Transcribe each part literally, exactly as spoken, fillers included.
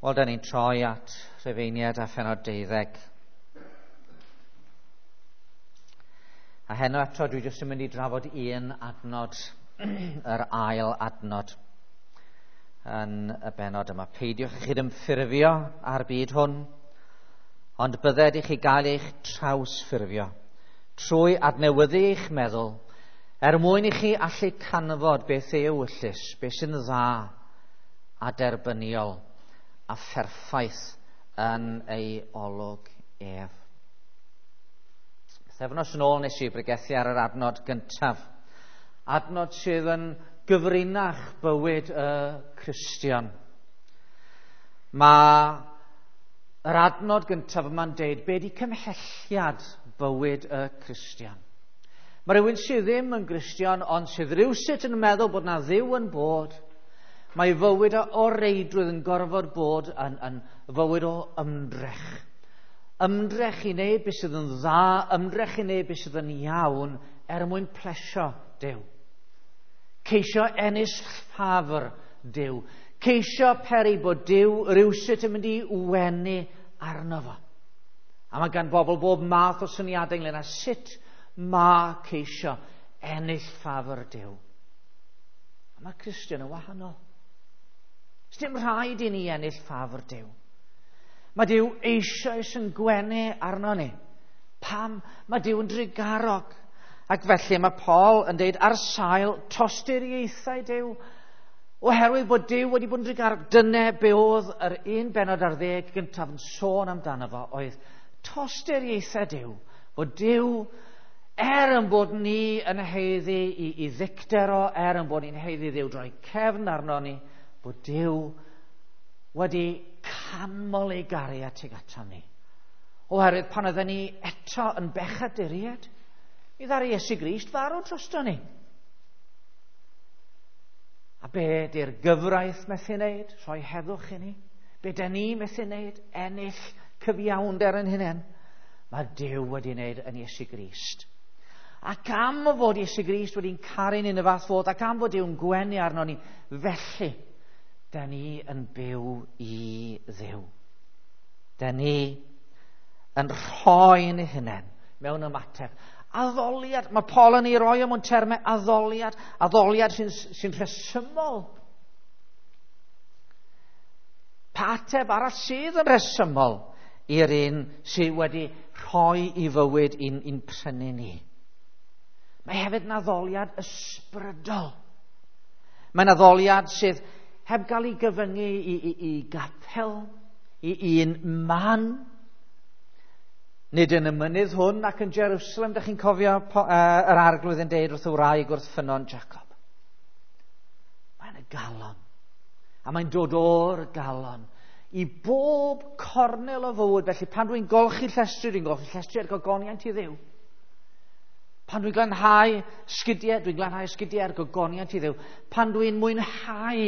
Wel, da ni'n troi at Rhufeiniaid a phenod deuddeg. A heno eto dwi jyst yn mynd i drafod un adnod, yr ail adnod yn y benod yma. Peidiwch chi ymffurfio â'r byd hwn, ond bydded i chi gael eich trawsffurfio trwy adnewyddu eich meddwl, er mwyn i chi allu canfod beth yw ewyllys, beth sy'n dda a derbyniol a pherffaith yn ei olwg ef. Pythefnos yn ôl nes i bregethu ar yr adnod gyntaf. Adnod sydd yn gyfrinach bywyd y Cristion. Mae yr adnod gyntaf yma'n deud be di cymhelliad bywyd y Cristion. Mae rhywun sydd ddim yn Gristion ond sydd rywsut yn meddwl bod na Dduw yn bod. Mae fywyd o reidrwydd yn gorfod bod yn, yn fywyd o ymdrech. Ymdrech i wneud beth sydd yn dda, ymdrech i wneud beth sydd yn iawn er mwyn plesio Duw. Ceisio ennill ffafr Duw. Ceisio peri bod Duw rywsut yn mynd i wenu arno fo. A mae gan bobl bob math o syniadau ynglyn â sut mae ceisio ennill ffafr Duw. A mae Cristion yn wahanol. Sdim rhaid i ni ennill ffafr Duw. Mae Duw eisoes yn gwenu arno ni. Pam? Mae Duw yn drugarog. Ac felly mae Paul yn deud ar sail tosturiaethau Duw. Oherwydd bod Duw wedi bod yn drugarog. Dyna be oedd yr un benod ar ddeg gyntaf yn sôn amdano fo, oedd tosturiaethau Duw. Bod Duw, er yn bod ni yn haeddu i, i ddicter o, er yn bod ni'n haeddu Dduw droi cefn arno ni, bod Duw wedi canmol ei gariad tuag atom ni. Oherwydd pan oedden ni eto yn bechaduriaid, mi ddaru Iesu Grist farw drosto ni. A be di'r gyfraith methu wneud? Rhoi heddwch i ni. Be da ni methu wneud? Ennill cyfiawnder yn hunain. Mae Duw wedi wneud yn Iesu Grist. Ac am fod Iesu Grist wedi'n caru ni yn y fath fodd, ac am fod Duw'n gwenu arno ni, felly da ni yn byw i Dduw. Da ni yn rhoi yn ei hunain mewn ymateb. Addoliad, mae Paul yn ei roi o mewn termau addoliad, addoliad sy'n sy rhesymol. Pa ateb arall sydd yn rhesymol i'r un sydd wedi rhoi i fywyd i'n, i'n prynu ni? Mae hefyd yn addoliad ysbrydol. Mae'n addoliad sydd heb gael ei gyfyngu i, i, i gapel, i un man. Nid yn y mynydd hwn ac yn Jerusalem, dych chi'n cofio po, uh, yr arglwydd yn deud wrth y wraig wrth ffynnon Jacob. Mae'n y galon. A mae'n dod o'r galon i bob cornel o fywyd. Felly pan dwi'n golchi llestri, dwi'n golchi llestri ar gogoniant i Dduw. Pan dwi'n glanhau sgidiau, dwi'n glanhau sgidiau ar gogoniant i Dduw. Pan dwi'n mwynhau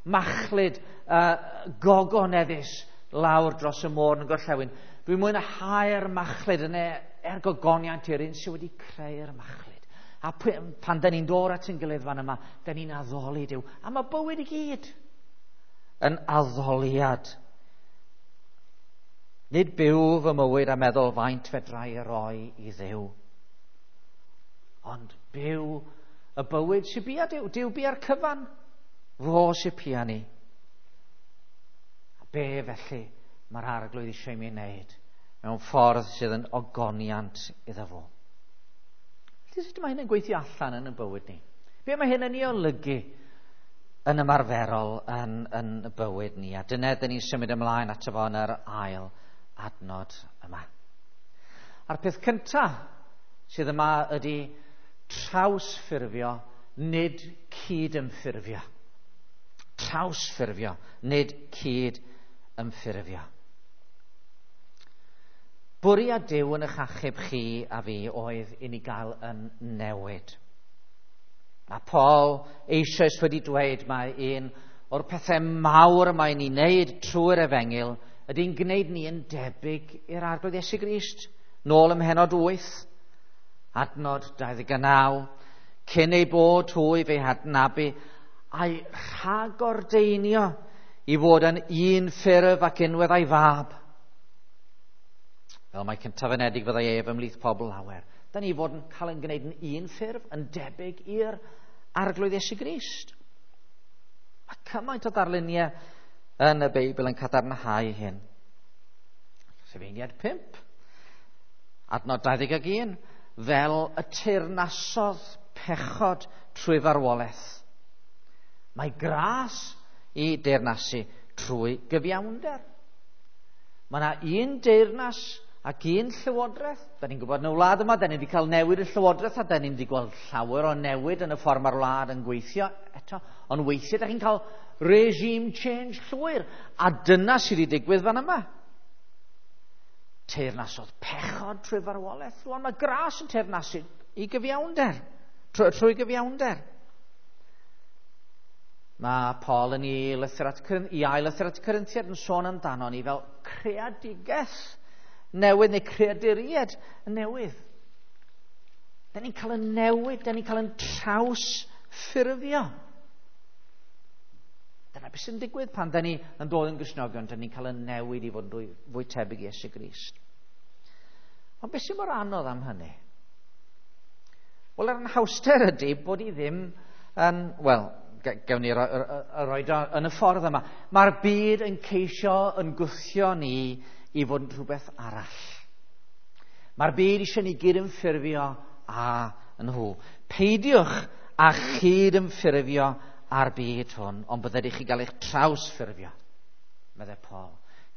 machlud uh, gogoneddus lawr dros y môr yn y gorllewin, dwi'n mwynhau'r machlud yna er gogoniant i'r un sydd wedi creu'r machlud. A pan da ni'n dod at ein gilydd fan yma, da ni'n addoli Duw. A mae bywyd i gyd yn addoliad. Nid byw fy mywyd a meddwl faint fedra i roi i Dduw, ond byw y bywyd sy'n bia Duw. Duw bia'r cyfan, fo sy'n pia ni. A be felly mae'r arglwydd eisiau i mi wneud mewn ffordd sydd yn ogoniant iddo fo. Felly sut mae hyn yn gweithio allan yn y bywyd ni? Be mae hyn yn ei olygu yn ymarferol yn, yn y bywyd ni? A dyna dyn ni'n symud ymlaen ato fo yn yr ail adnod yma. A'r peth cyntaf sydd yma ydy trawsffurfio, nid cyd-ymffurfio. Trawsffurfio, nid cyd-ymffurfio. Bwriad Duw yn eich achub chi a fi oedd i ni gael yn newid. Mae Paul eisoes wedi dweud mae un o'r pethau mawr mae'n ei wneud trwy'r efengyl ydy'n gwneud ni yn debyg i'r Arglwydd Iesu Grist. Nôl ym mhennod wyth, adnod dau ddeg naw, cyn ei bod hwy fe'i hadnabu a'i rhagordeinio i fod yn un ffurf ac unwedd a'i fab. Fel mae cyntaf anedig fyddai ef ymhlith pobl lawer. Da ni fod yn cael ein gwneud yn un ffurf, yn debyg i'r Arglwydd Iesu Grist. Mae cymaint o ddarluniau yn y Beibl yn cadarnhau hyn. Rhufeiniaid pump, adnod dau ddeg un, fel y teyrnasodd pechod trwy farwolaeth. Mae gras i deyrnasu trwy gyfiawnder. Mae yna un deyrnas ac un llywodraeth. Da ni'n gwybod yn y wlad yma, da ni wedi cael newid y llywodraeth a da ni wedi gweld llawer o newid yn y ffordd mae'r wlad yn gweithio eto. Ond weithiau da chi'n cael regime change llwyr. A dyna sydd wedi digwydd fan yma. Teyrnasodd pechod trwy farwolaeth. Rwan mae gras yn teyrnasu i gyfiawnder. Trwy, trwy gyfiawnder. Mae Paul yn ei lythyr at, i ail lythyr at Corinthiaid yn sôn amdano ni fel creadigaeth newydd neu creaduriaid newydd. Da ni'n cael yn newid, da ni'n cael yn trawsffurfio. Dyna beth sy'n digwydd pan da ni yn dod yn Gristnogion, da ni'n cael yn newid i fod yn fwy tebyg i Iesu Grist. Ond beth sy'n mor anodd am hynny? Wel, yr anhawster ydy bod i ddim yn, wel, gewn ni roi yn y ffordd yma. Mae'r byd yn ceisio yn gwthio ni i fod yn rhywbeth arall. Mae'r byd eisiau ni gyd-ymffurfio â nhw. Peidiwch â chyd-ymffurfio â'r byd hwn, ond byddai chi gael eich trawsffurfio, meddai Paul.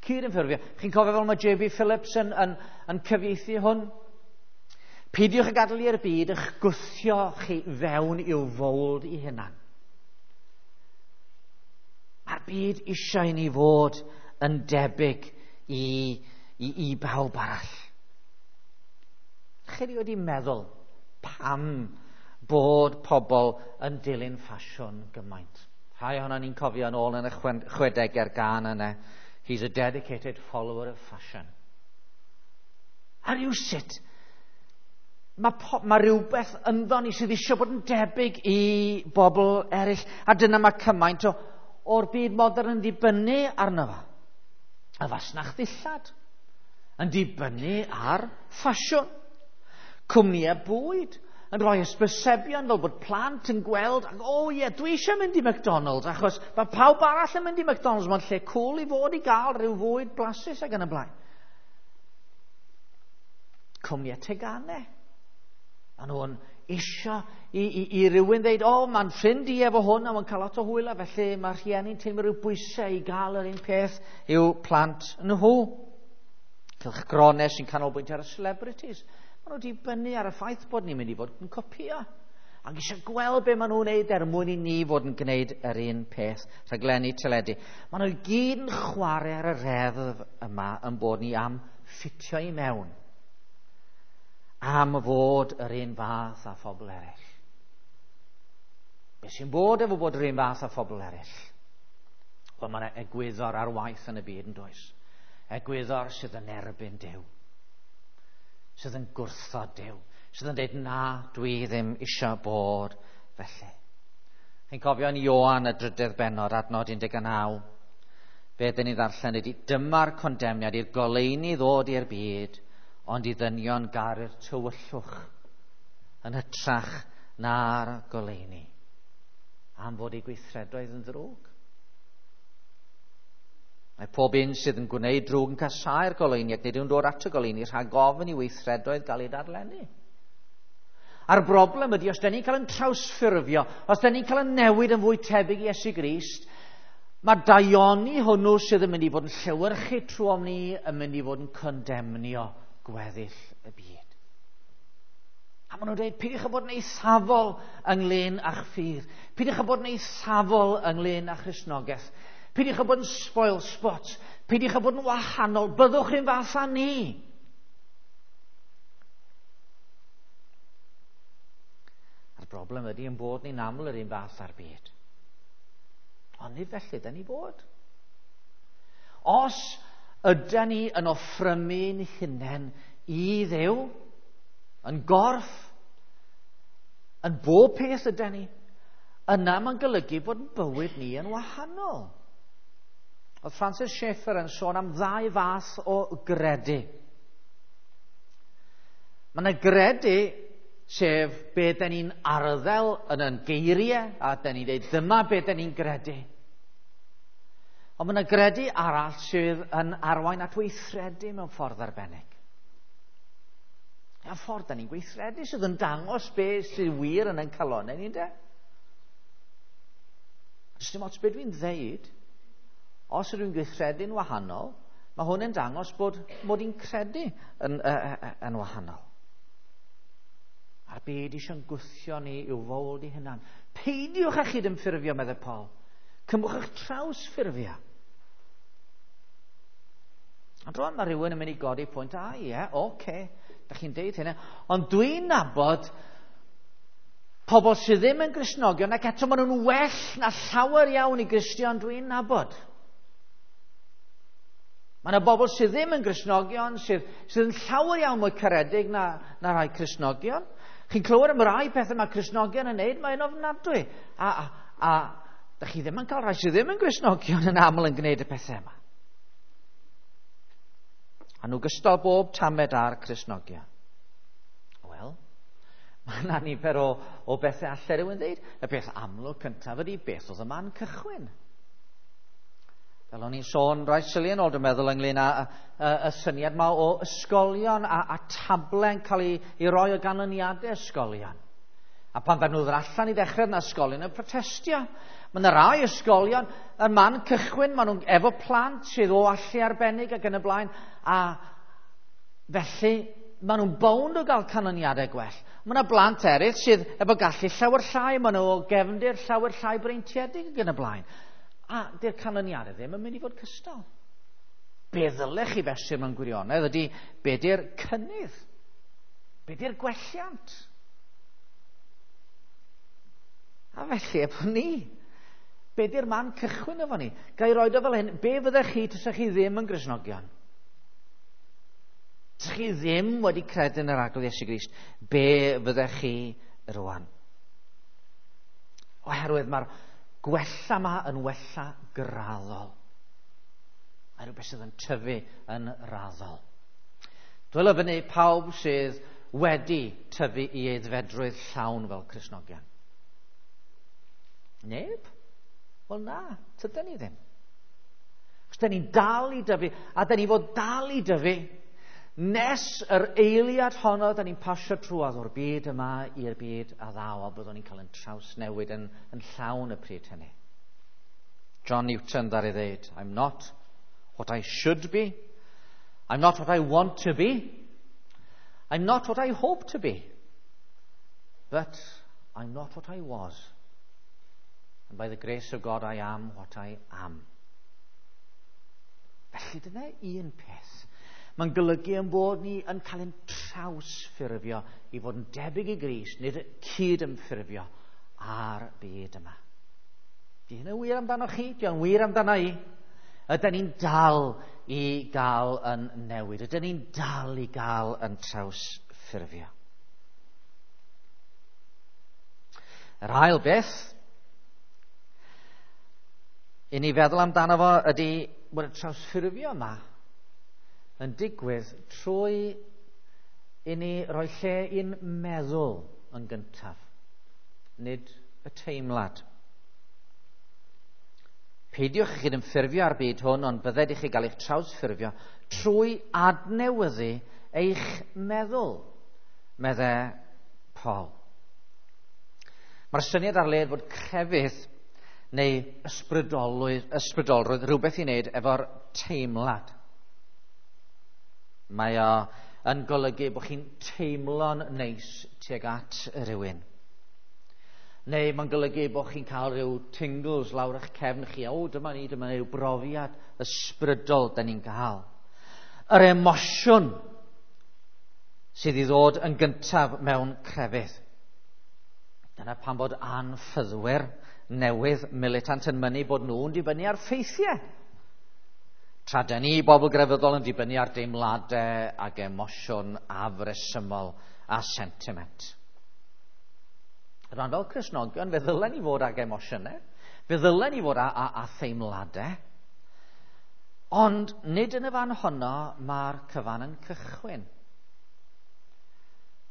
Cyd-ymffurfio. Chi'n cofio fel mae J B Phillips yn, yn, yn cyfieithu hwn? Peidiwch â gadael i'r byd eich gwthio chi fewn i'w fowld i hunan. Mae'r byd eisiau i ni fod yn debyg i, i, i bawb arall. Chi wedi meddwl pam bod pobl yn dilyn ffasiwn gymaint? Rhai ohono ni'n cofio yn ôl yn y chwedegau'r gân yna. He's a dedicated follower of fashion. A rhywsut, mae, po, mae rhywbeth ynddo ni sydd eisiau bod yn debyg i bobl eraill. A dyna mae cymaint o, o'r byd modern yn dibynnu arno fo. Y fasnach ddillad yn dibynnu ar ffasiwn. Cwmnïau bwyd yn rhoi hysbysebion fel bod plant yn gweld, ac o ie, dwi eisiau mynd i McDonald's, achos mae pawb arall yn mynd i McDonald's, mae'n lle cool i fod i gael rhyw fwyd blasus ac yn y blaen. Cwmnïau teganau. Maen nhw'n eisiau i, i, i rywun ddeud, o, mae'n ffrind i efo hwn a mae'n cael lot o hwyl, a felly mae rhieni'n teimlo rhyw bwysau i gael yr un peth i'w plant nhw. Cylchgronau sy'n canolbwyntio ar y celebrities. Maen nhw wedi dibynnu ar y ffaith bod ni'n mynd i fod yn copio. Ac eisiau gweld be maen nhw'n wneud er mwyn i ni fod yn gwneud yr un peth, rhaglenni teledu. Maen nhw i gyd yn chwarae ar y reddf yma yn bod ni am ffitio i mewn. Am fod yr un fath â phobl eraill. Be sy'n bod efo bod yr un fath â phobl eraill? Wel, mae yna egwyddor ar waith yn y byd yn does. Egwyddor sydd yn erbyn Duw. Sydd yn gwrthod Duw. Sydd yn dweud, na, dwi ddim eisiau bod felly. Chi'n cofio yn Ioan y drydedd bennod, adnod un deg naw, be dyn ni ddarllen ydy, dyma'r condemniad i'r goleuni ddod i'r byd, ond i ddynion garu'r tywyllwch yn hytrach na'r goleuni, am fod eu gweithredoedd yn ddrwg. Mae pob un sydd yn gwneud drwg yn casáu'r goleuni ac nid yw'n dod at y goleuni rhag ofn i weithredoedd gael eu darllennu. A'r broblem ydy, os da ni'n cael yn trawsffurfio, os da ni'n cael yn newid yn fwy tebyg i Iesu Grist, mae daioni hwnnw sydd yn mynd i fod yn llewyrchu trwom ni yn mynd i fod yn condemnio gweddill y byd. A maen nhw'n dweud, peidiwch â bod yn eithafol ynglyn â'ch ffydd. Peidiwch â bod yn eithafol ynglyn â Christnogaeth. Peidiwch â bod yn spoil spot. Peidiwch â bod yn wahanol. Byddwch chi'n fath â ni. A'r broblem ydy yn bod ni'n aml yr un fath â'r byd. Ond nid felly, da ni bod. Os ydy ni yn offrymu'n hunain i Dduw, yn gorff, yn bob peth ydy ni, yna mae'n golygu bod bywyd ni yn wahanol. Oedd Francis Schaeffer yn sôn am ddau fath o gredu. Mae yna gredu, sef be da ni'n arddel yn yn geiriau, a da ni'n dweud dyma be da ni'n gredu. Ond mae yna gredu arall sydd yn arwain at weithredu mewn ffordd arbennig. A ffordd da ni'n gweithredu sydd yn dangos be sydd wir yn ein calonnau ni'n de. Does dim ots be dwi'n ddeud, os ydw i'n gweithredu'n wahanol, mae hwn yn dangos bod mod i'n credu yn, uh, yn wahanol. A'r byd eisiau'n gwthio ni i'w fowld i hunan. Peidiwch â chydymffurfio, meddai Paul. Cymwch eich trawsffurfio. Ond rwan mae rhywun yn mynd i godi pwynt, a ie, oce, okay, da chi'n deud hynna. Ond dwi'n nabod pobl sydd ddim yn Gristnogion ac eto maen nhw'n well na llawer iawn i Gristion dwi'n nabod. Mae yna bobl sydd ddim yn Gristnogion, sydd, sydd yn llawer iawn mwy caredig na, na rhai Cristnogion. Chi'n clywed am rai pethau mae Cristnogion yn neud, mae'n ofnadwy. A, a, a da chi ddim yn cael rhai sydd ddim yn Gristnogion yn aml yn gwneud y pethau yma. A nhw gystal bob tamed ar Cristnogion. Wel, mae yna nifer o, o bethau allai rhywun ddeud. Y peth amlwg cyntaf ydy beth oedd y man cychwyn. Fel o'n i'n sôn rai sili yn ôl, dwi'n meddwl, ynglyn â y, y, y syniad yma o ysgolion a, a table'n cael ei, ei roi o ganlyniadau ysgolion. A pan ddaru nhw ddod allan i ddechrau yna ysgolion yn protestio. Mae yna rai ysgolion yn man cychwyn, maen nhw'n efo plant sydd o allu arbennig ac yn y blaen, a felly maen nhw'n bownd o gael canlyniadau gwell. Mae yna blant eraill sydd efo gallu llawer llai, maen nhw o gefndir llawer llai breintiedig ac yn y blaen. A dy'r canlyniadau ddim yn mynd i fod cystal. Be ddylech chi fesur mewn gwirionedd ydy be di'r cynnydd? Be di'r gwelliant? A felly, efo ni, be di'r man cychwyn efo ni? Ga i roed o fel hyn, be fyddech chi tasech chi ddim yn Gristnogion? Tasech chi ddim wedi credu yn yr Arglwydd Iesu Grist, be fyddech chi rwan? Oherwydd mae'r gwella yma yn wella graddol. Mae rhywbeth sydd yn tyfu yn raddol. Dwylo fyny pawb sydd wedi tyfu i aeddfedrwydd llawn fel Cristnogion. Neb? Wel na, tydyn ni ddim. Achos da ni'n dal i dyfu, a da ni fod dal i dyfu, nes yr eiliad honno da ni'n pasio trwodd o'r byd yma i'r byd a ddaw, a byddwn ni'n cael yn trawsnewid yn, yn llawn y pryd hynny. John Newton ddaru ddeud, I'm not what I should be, I'm not what I want to be, I'm not what I hope to be, but I'm not what I was. And by the grace of God I am what I am. Felly dyna un peth. Mae'n golygu yn bod ni yn cael ein trawsffurfio i fod yn debyg i Grist, nid cyd-ymffurfio ar byd yma. Di hynny'n wir amdano chi? Di o'n wir amdano i? Ydyn ni'n dal i gael yn newid? Ydyn ni'n dal i gael yn trawsffurfio? Yr ail beth i ni feddwl amdano fo ydy bod y trawsffurfio yma yn digwydd trwy i ni roi lle i'n meddwl yn gyntaf, nid y teimlad. Peidiwch chi gydymffurfio ar byd hwn, ond bydded i chi gael eich trawsffurfio trwy adnewyddu eich meddwl, meddai Paul. Mae'r syniad ar led fod crefydd neu ysbrydolrwydd, ysbrydolrwydd rhywbeth i wneud efo'r teimlad. Mae o yn golygu bod chi'n teimlo'n neis tuag at rhywun. Neu mae'n golygu bod chi'n cael rhyw tingles lawr eich cefn chi. O, dyma ni, dyma ni, rhyw brofiad ysbrydol da ni'n cael. Yr emosiwn sydd i ddod yn gyntaf mewn crefydd. Dyna pam bod anffyddwyr newydd militant yn mynnu bod nhw'n dibynnu ar ffeithiau. Tra da ni, bobl grefyddol, yn dibynnu ar deimladau ac emosiwn afresymol a sentiment. Rwan fel Cristnogion, fe ddylen ni fod ag emosiynau, fe ddylen ni fod â, â, â theimladau, Ond nid yn y fan honno mae'r cyfan yn cychwyn.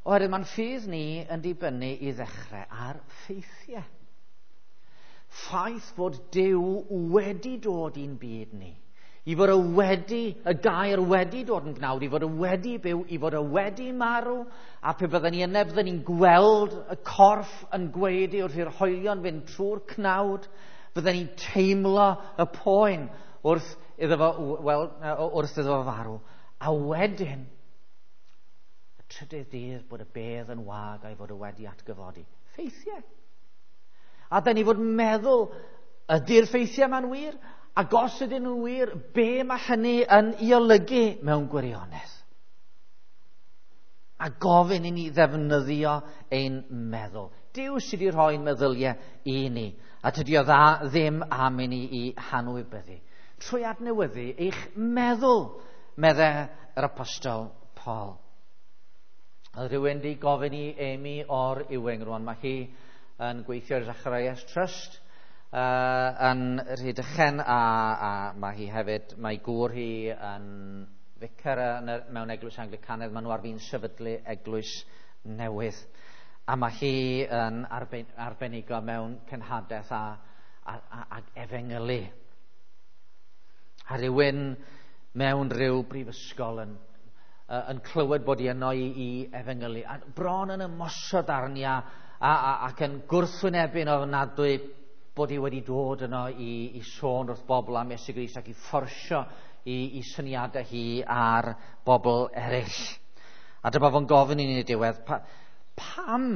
Oherwydd mae'n ffydd ni yn dibynnu i ddechrau ar ffeithiau. Ffaith fod Duw wedi dod i'n byd ni. I fod y wedi, y gair wedi dod yn gnawd, i fod y wedi byw, i fod y wedi marw, a pe bydden ni yna, bydden ni'n gweld y corff yn gwaedu wrth i'r hoelion fynd trwy'r cnawd, bydden ni'n teimlo y poen wrth iddo fo, wel, wrth iddo fo farw. A wedyn, y trydydd dydd bod y bedd yn wag a'i fod y wedi atgyfodi. Ffeithiau. A dyn ni fod meddwl, ydy'r ffeithiau ma'n wir? Ac os ydyn nhw'n wir, be mae hynny yn ei olygu mewn gwirionedd? A gofyn i ni ddefnyddio ein meddwl. Duw sydd wedi rhoi'n meddyliau i ni, a tydi o dda ddim am i ni i hanwybyddu. Trwy adnewyddu eich meddwl, medde yr apostol Paul. Oedd rhywun wedi gofyn i Amy o'r Ewing rwan, mae hi yn gweithio i'r Zacharias Trust uh, yn Rhydychen, a, a mae hi hefyd, mae gŵr hi yn ficer yn, mewn eglwys Anglicanaidd, maen nhw ar fin sefydlu eglwys newydd. A mae hi yn arben, arbenigo mewn cenhadaeth a, a, a, ac efengylu. A rhywun mewn rhyw brifysgol yn, yn clywed bod hi yno i, i efengylu. A bron yn ymosod arni a, a, a, ac yn gwrthwynebu'n ofnadwy bod hi wedi dod yno i, i sôn wrth bobl am Iesu Grist ac i fforsio i, i syniadau hi ar bobl eraill. A dyma fo'n gofyn i ni'n y diwedd, pa, pam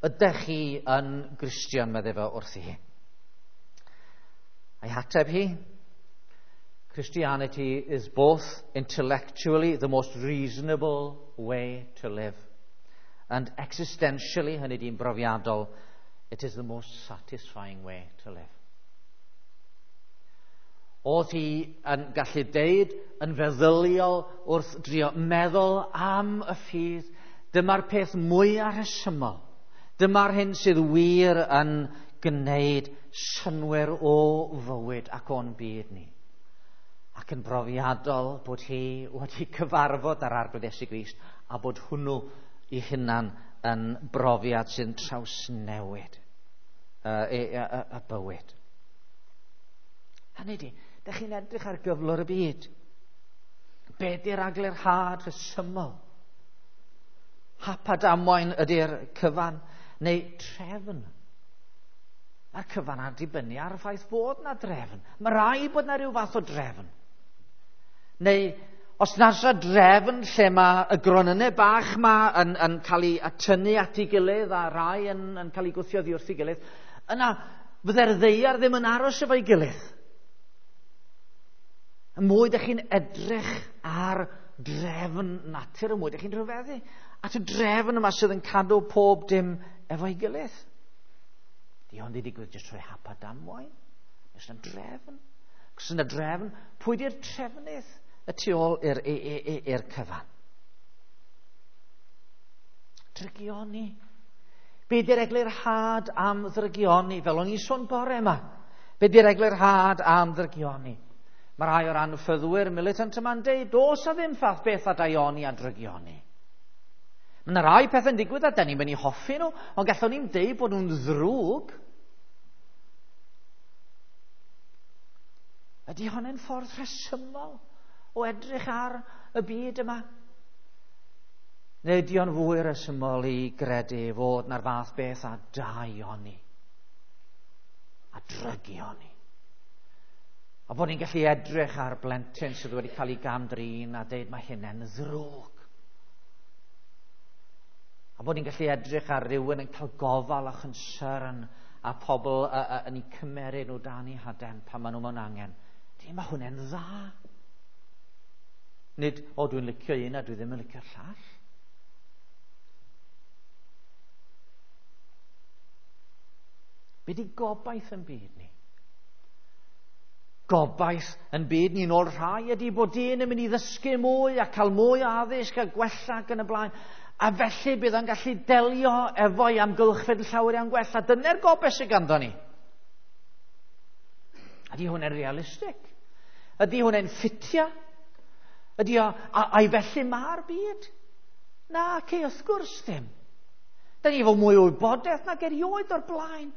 ydych chi yn Gristion, meddai fo wrthi hi. A'i hateb hi, Christianity is both intellectually the most reasonable way to live and existentially, hynny di'n brofiadol, it is the most satisfying way to live. Oedd hi yn gallu deud yn feddyliol wrth drio meddwl am y ffydd, dyma'r peth mwyaf rhesymol. Dyma'r hyn sydd wir yn gwneud synnwyr o fywyd ac o'n byd ni. Ac yn brofiadol bod hi wedi cyfarfod ar Arglwydd Iesu Grist a bod hwnnw i hunan yn brofiad sy'n trawsnewid uh, y, y, y, y bywyd. Hynny ydi, dych chi'n edrych ar gyflwr y byd. Be di'r eglurhad rhesymol? Hap a damwain ydy'r cyfan, neu trefn? Mae'r cyfan ar dibynnu ar y ffaith bod na drefn. Mae rhaid bod na rhyw fath o drefn. Neu os nasa drefn lle mae y gronynnau bach ma yn, yn cael ei atynnu at ei gilydd a rai yn, yn cael ei gwthio oddi wrth ei gilydd, yna fydde'r ddaear ddim yn aros efo'i gilydd. Y mwy ydych chi'n edrych ar drefn natur, y mwy ydych chi'n rhyfeddu at y drefn yma sydd yn cadw pob dim efo'i gilydd. Di hwn di digwydd jyst trwy hap a damwain. Oes yna drefn? Os yna drefn, pwy di'r trefnydd y tu ôl i'r, i'r cyfan? Drygioni. Be di'r eglurhad am ddrygioni? Fel o'n i'n sôn bore yma. Be di'r eglurhad am ddrygioni? Mae rhai o'r anffyddwyr militant yma'n deud, does a ddim fath beth a daioni a drygioni. Mae yna rai pethau'n digwydd a da ni'n mynd i hoffi nhw, ond gallwn ni'n deud bod nhw'n ddrwg. Ydy hwnna'n ffordd rhesymol o edrych ar y byd yma? Neu ydy o'n fwy rhesymol i gredu fod na'r fath beth a daioni, a drygioni? A bod ni'n gallu edrych ar blentyn sydd wedi cael ei gam-drin a deud mae hynny'n ddrwg. A bod ni'n gallu edrych ar rywun yn cael gofal a concern a pobl a, a, yn eu cymeryd nhw dan eu haden pan maen nhw mewn angen. Di, mae hwnna'n dda. Nid, o dwi'n licio un a dwi ddim yn licio'r llall. Be di gobaith yn byd ni? Gobaith yn byd ni'n ôl rhai ydy bod dyn yn mynd i ddysgu mwy a cael mwy o addysg a gwella ac yn y blaen. A felly bydd o'n gallu delio efo'i amgylchfyd yn llawer iawn gwell. A dyna'r gobaith sydd ganddo ni. Ydy hwnna'n realistig? Ydy hwnna'n ffitio? Ydy o, a, a'i felly mae'r byd? Na, ce, wrth gwrs ddim. Da ni efo mwy o wybodaeth nag erioed o'r blaen.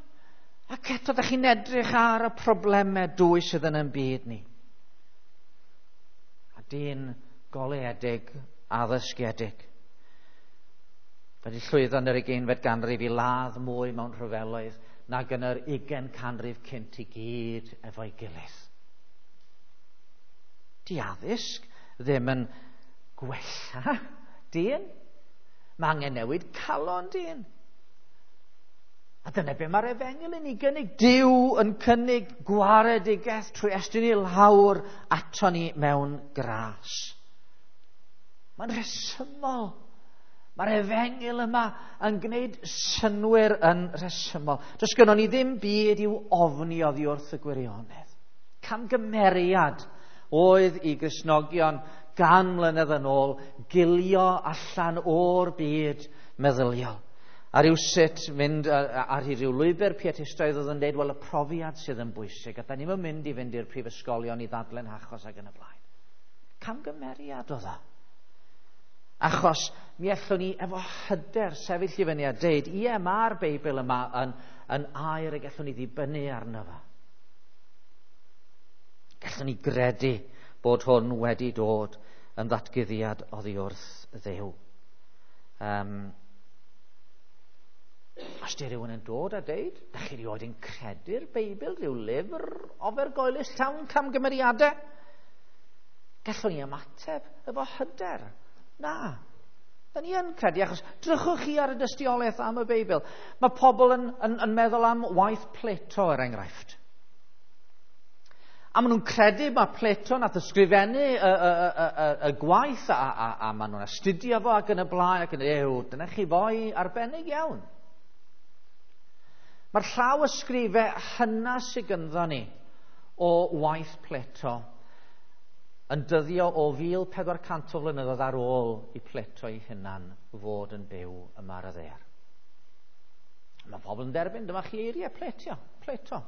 Ac eto, da chi'n edrych ar y problemau dwy sydd yn ein byd ni. A dyn goleuedig, addysgiedig. Wedi llwyddo yn yr ugeinfed ganrif i ladd mwy mewn rhyfeloedd nag yn yr ugain canrif cynt i gyd efo'i gilydd. Di addysg ddim yn gwella dyn. Mae angen newid calon dyn. A dyna be mae'r efengyl yn ei gynnig. Duw yn cynnig gwaredigaeth trwy estyn i lawr ato ni mewn gras. Mae'n rhesymol. Mae'r efengyl yma yn gwneud synnwyr yn rhesymol. Does gynnon ni ddim byd i'w ofni oddi wrth y gwirionedd. Camgymeriad oedd i Gristnogion gan mlynedd yn ôl gilio allan o'r byd meddyliol. A rhywsut mynd ar ryw lwybr pietistaidd oedd yn dweud, wel, y profiad sydd yn bwysig, a da ni'n mynd i fynd i'r prifysgolion i ddadlen achos ac yn y blaen. Camgymeriad oedd o. Achos mi allwn ni efo hyder sefyll i fyny a deud, ie, mae'r Beibl yma yn, yn air y gallwn ni ddibynnu arno fo. Gallwn ni gredu bod hwn wedi dod yn ddatguddiad oddi wrth Dduw. Um, os di rhywun yn dod a deud, da chi rioed yn credu'r Beibl, rhyw lyfr ofergoelus llawn camgymeriadau? Gallwn ni ymateb efo hyder. Na, da ni yn credu, achos drychwch chi ar y dystiolaeth am y Beibl. Mae pobl yn, yn, yn meddwl am waith Plato, er enghraifft. A maen nhw'n credu mae Plato nath ysgrifennu y, y, y, y, y gwaith a, a, a maen nhw'n astudio fo ac yn y blaen ac yn ew, dyna chi foi arbennig iawn. Mae'r llaw ysgrifau hynna sydd gynddo ni o waith Plato yn dyddio o fil pedwar cant o flynyddoedd ar ôl i Plato ei hunan fod yn byw yma ar y ddaear. Mae pobl yn derbyn, dyma chi eiriau Plato, Plato.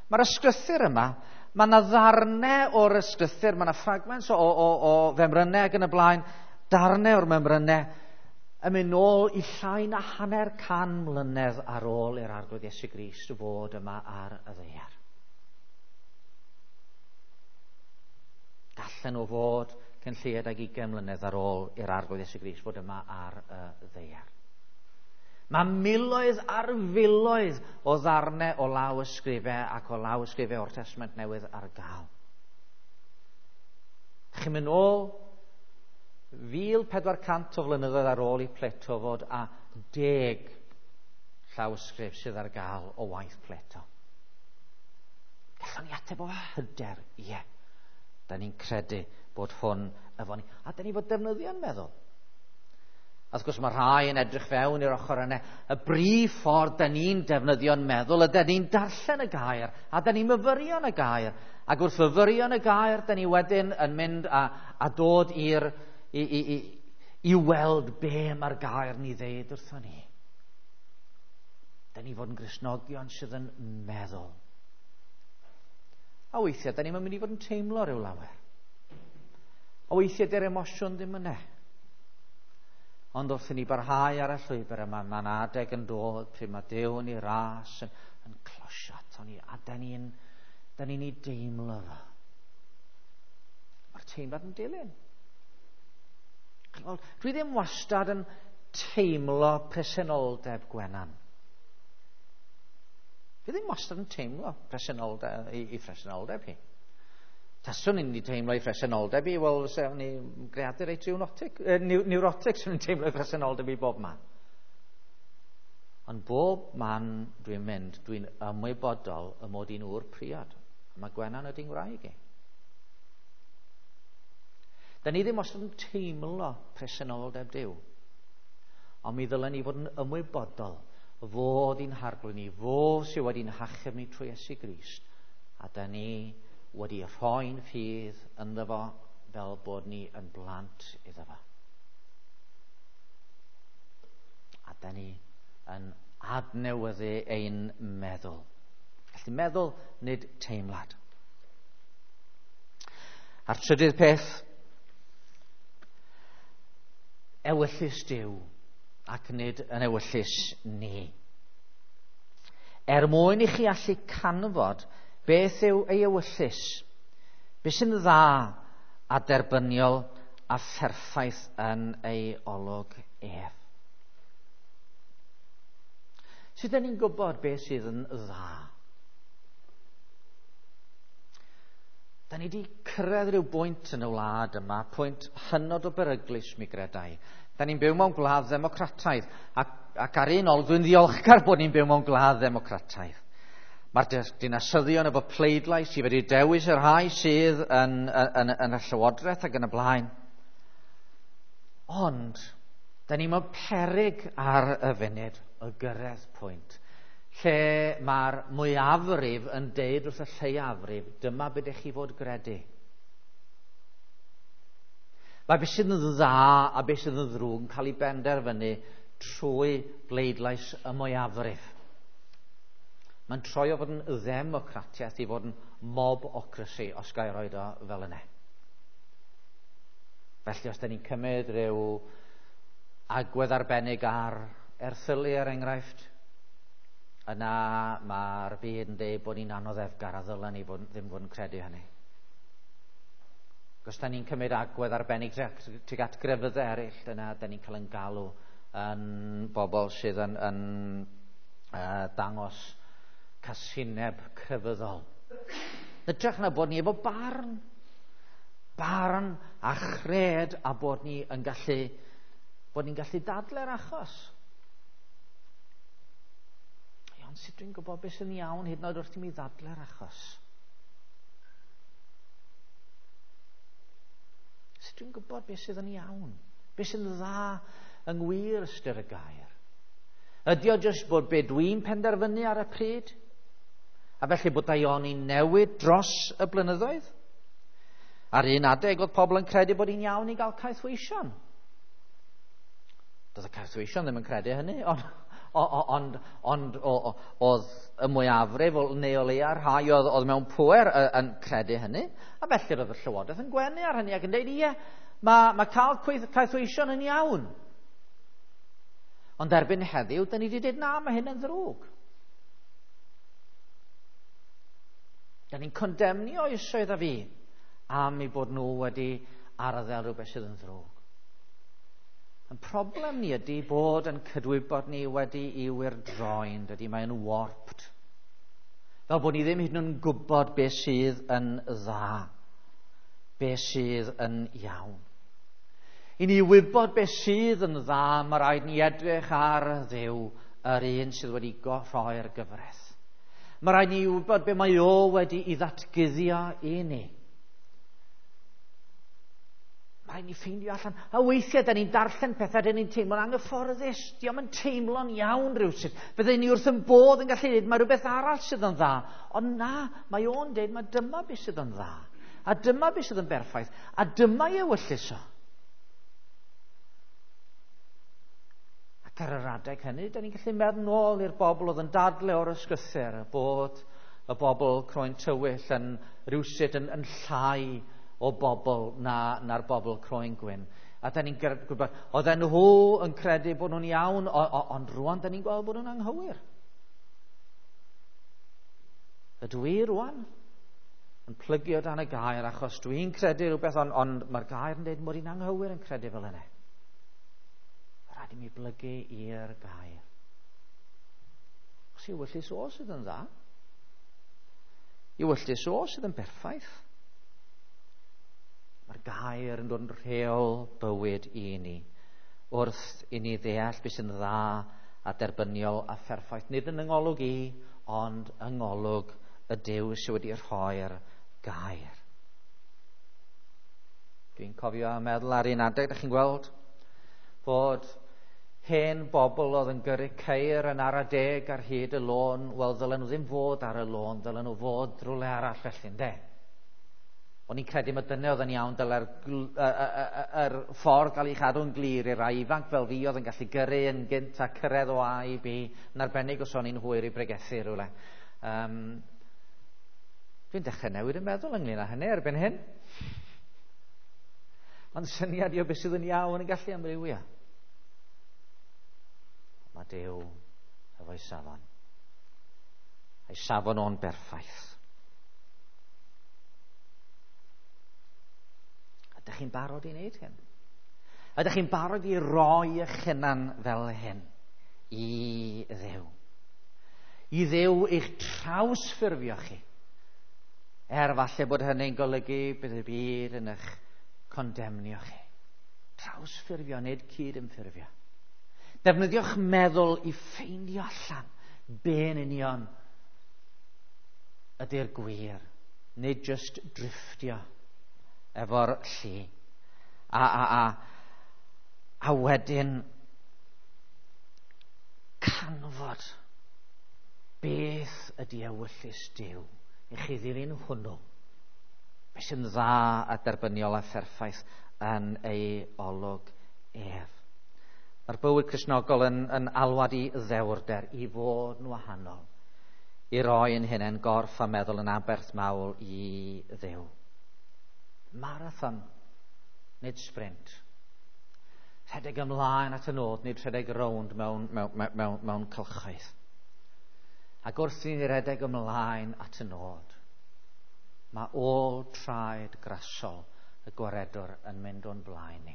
Mae'r ysgrythur yma, mae yna ddarnau o'r ysgrythur, mae yna fragments o, o, o femrynau ac yn y blaen, darnau o'r memrynau, yn mynd nôl i llai na hanner can mlynedd ar ôl i'r Arglwydd Iesu Grist fod yma ar y ddaear. Gallen nhw fod cyn lleied ag ugain mlynedd ar ôl i'r Arglwydd Iesu Grist fod yma ar y ddaear. Mae miloedd ar filoedd o ddarnau o law ysgrifau ac o law ysgrifau o'r Testament Newydd ar gael. Chi'n mynd ôl fil pedwar cant o flynyddoedd ar ôl i Plato fod a deg llawysgrif sydd ar gael o waith Plato. Gallwn ni ateb o hyder, ie. Da ni'n credu bod hwn efo ni. A da ni fod defnyddio'n meddwl. A wrth gwrs mae rhai yn edrych fewn i'r ochr yna. Y brif ffordd da ni'n defnyddio'n meddwl, ydy ni'n darllen y gair, a da ni'n myfyrio yn y gair. Ac wrth fyfyrio yn y gair, da ni wedyn yn mynd a, a dod i'r, i, i, i, i weld be mae'r gair ni ddeud wrthon ni. Da ni fod yn Gristnogion sydd yn meddwl. A weithiau, da ni'n mynd i fod yn teimlo rhyw lawer. A weithiau, dy'r emosiwn ddim yna. Ond wrth i ni barhau ar y llwybr yma, mae'n adeg yn dod pryd mae Duw yn ei ras yn, yn closio ato ni, a da ni'n da ni'n ei deimlo fo. Mae'r teimlad yn dilyn. Dwi ddim wastad yn teimlo presenoldeb Gwenan. Dwi ddim wastad yn teimlo presenoldeb, i, i presenoldeb hi. Taswn i'n teimlo i presenoldeb i, wel, sef ni greadur reit neurotic, eh, neurotic sy'n ni'n teimlo i presenoldeb i bob man. Ond bob man dwi'n mynd, dwi'n ymwybodol y mod i'n ŵr priod. A mae Gwenan ydy'n ngwraig i. Da ni ddim wastad yn teimlo presenoldeb Duw. Ond mi ddylen ni fod yn ymwybodol fod i'n harglwydd ni, fo sydd wedi'n hachub ni trwy Iesu Grist. A da ni wedi rhoi'n ffydd ynddo fo fel bod ni yn blant iddo fo. A da ni yn adnewyddu ein meddwl. Felly meddwl, nid teimlad. A'r trydydd peth, ewyllys Duw ac nid yn ewyllys ni. Er mwyn i chi allu canfod beth yw ei ewyllys, beth sy'n dda a derbyniol a pherffaith yn ei olwg ef. Sut ydyn ni'n gwybod beth sydd yn dda? Da ni wedi cyrraedd rhyw bwynt yn y wlad yma, pwynt hynod o beryglus mi gredai. Da ni'n byw mewn gwlad ddemocrataidd, ac, ac ar un ôl dwi'n ddiolchgar bod ni'n byw mewn gwlad ddemocrataidd. Mae'r dinasyddion efo pleidlais i wedi dewis y rhai sydd yn, yn, yn, yn y llywodraeth ac yn y blaen. Ond, da ni mewn peryg ar y funud o gyrraedd pwynt lle mae'r mwyafrif yn deud wrth y lleiafrif, dyma beth ydych chi fod gredu. Mae beth sydd yn dda a beth sydd yn ddrwg yn cael ei benderfynu trwy bleidlais y mwyafrif. Mae'n troi o fod yn ddemocratiaeth i fod yn mobocracy, os ga i roed o fel yna. Felly os da ni'n cymryd rhyw agwedd arbennig ar erthylu er enghraifft, yna mae'r byd yn dweud bod ni'n anoddefgar a ddylen ni fod, ddim fod yn credu hynny. Os da ni'n cymryd agwedd arbennig tuag at grefyddau eraill, yna da ni'n cael yn galw yn bobl sydd yn, yn uh, dangos casineb crefyddol. Hytrach na bod ni efo barn, barn a chred a bod ni yn gallu, bod ni'n gallu dadle'r achos. Ond sut dwi'n gwybod beth sy'n iawn hyd yn oed wrth i mi ddadle'r achos? Sut dwi'n gwybod beth sydd yn iawn? Beth sy'n dda yng ngwir ystyr y gair? Ydy o jyst bod be dwi'n penderfynu ar y pryd? A felly bod daioni'n newid dros y blynyddoedd? Ar un adeg oedd pobl yn credu bod hi'n iawn i gael caethweision. Doedd y caethweision ddim yn credu hynny, ond ond, ond oedd y mwyafrif neu o leia rhai oedd, oedd mewn pŵer yn credu hynny, a felly roedd y llywodraeth yn gwenu ar hynny ac yn dweud, ie, mae, mae cael caethweision yn iawn. Ond erbyn heddiw, da ni wedi dweud, na, mae hyn yn ddrwg. Da ni'n condemnio oesoedd a fi am eu bod nhw wedi arddel rhywbeth sydd yn ddrwg. Yn problem ni ydy bod yn cydwybod ni wedi i wyrdroi'n dydy, mae'n warped. Fel bod ni ddim hyd yn oed yn gwybod beth sydd yn dda, beth sydd yn iawn. I ni wybod beth sydd yn dda, mae rhaid ni edrych ar Dduw, yr un sydd wedi rhoi'r gyfraith. Mae rhaid ni wybod beth mae o wedi i ddatguddio i ni. Mae rhaid ni ffeindio allan. A weithiau, da ni'n darllen pethau, da ni'n teimlo'n anghyfforddus. Dio'm yn teimlo'n iawn rhywsut. Fydden ni wrth yn bodd yn gallu dweud, mae rhywbeth arall sydd yn dda. Ond na, mae o'n dweud, mae dyma beth sydd yn dda. A dyma beth sydd yn berffaith. A dyma ei ewyllys o. Ac ar yr adeg hynny, da ni'n gallu meddwl nôl i'r bobl oedd yn dadle o'r ysgythyr, bod y bobl croen tywyll yn rhywsut yn, yn llai o bobl na, na'r bobl croen gwyn. A da ni'n gwybod, oedden nhw yn credu bod nhw'n iawn, o, o, ond rwan da ni'n gweld bod nhw'n anghywir. Ydw i rwan yn plygu o dan y gair achos dwi'n credu rhywbeth, ond, ond mae'r gair yn dweud mod i'n anghywir yn credu fel yna. Rhaid i mi blygu i'r gair. Os ewyllys o sydd yn dda, ewyllys o sydd yn berffaith. Mae'r gair yn dod yn rheol bywyd i ni, wrth i ni ddeall beth sy'n dda a derbyniol a pherffaith. Nid yn yngolwg i, ond yng ngolwg y Duw sydd wedi rhoi'r gair. Dwi'n cofio a meddwl ar un adeg, da chi'n gweld, bod hen bobl oedd yn gyrru ceir yn ara deg ar hyd y lôn, wel ddylen nhw ddim fod ar y lôn, ddylen nhw fod rhywle arall felly, ynde? O'n i'n credu mae dyna oedd yn iawn, dyle'r yr ffordd gael ei chadw'n glir i'r rai ifanc fel fi oedd yn gallu gyrru yn gynt a cyrraedd o A i B, yn arbennig os o'n i'n hwyr i bregethu rhywle. Um, dwi'n dechrau newid yn meddwl ynglyn â hynny erbyn hyn. Mae'n syniad i o beth sydd yn iawn yn gallu amrywio. Mae Duw efo'i safon. A'i safon o'n berffaith. Ydych chi'n barod i wneud hyn? Ydych chi'n barod i roi eich hunan fel hyn i Dduw? I Dduw eich trawsffurfio chi. Er falle bod hynny'n golygu bydd y byd yn eich condemnio chi. Trawsffurfio, nid cyd-ymffurfio. Defnyddiwch meddwl i ffeindio allan be'n union ydy'r gwir, nid just drifftio efo'r llu. A, a, a, a wedyn canfod beth ydy ewyllys Duw i chi ddilyn hwnnw. Beth sy'n dda a derbyniol a pherffaith yn ei olwg ef. Mae'r bywyd Cristnogol yn, yn alwad i ddewrder, i fod yn wahanol, i roi yn hunain gorff a meddwl yn aberth mawl i Dduw. Marathon, nid sprint. Rhedeg ymlaen at y nod, nid rhedeg rownd mewn, mewn, mewn, mewn cylchoedd. Ac wrth i ni redeg ymlaen at y nod, mae ôl traed grasol y gwaredwr yn mynd o'n blaen ni.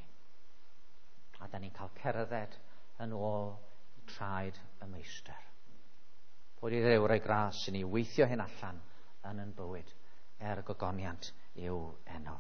A da ni'n cael cerdded yn ôl traed y meistr. Bod i Dduw roi gras i ni weithio hyn allan yn yn bywyd er gogoniant i'w enw.